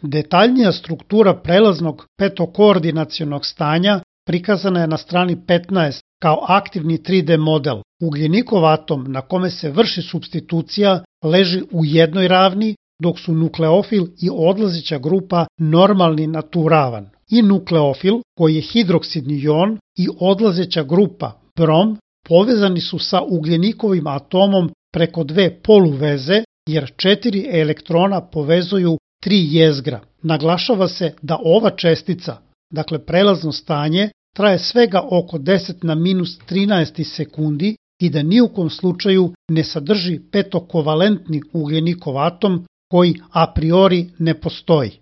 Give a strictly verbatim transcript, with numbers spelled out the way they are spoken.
Detaljnija struktura prelaznog petokoordinacionog stanja prikazana je na strani petnaest kao aktivni tri D model. Ugljenikov atom na kome se vrši supstitucija leži u jednoj ravni, dok su nukleofil i odlazeća grupa normalni na tu ravan. I nukleofil, koji je hidroksidni jon, i odlazeća grupa brom povezani su sa ugljenikovim atomom preko dve poluveze, jer četiri elektrona povezuju tri jezgra. Naglašava se da ova čestica, dakle prelazno stanje, traje svega oko deset na minus trinaest sekundi i da ni u kom slučaju ne sadrži petokovalentni ugljenikov atom koji a priori ne postoji.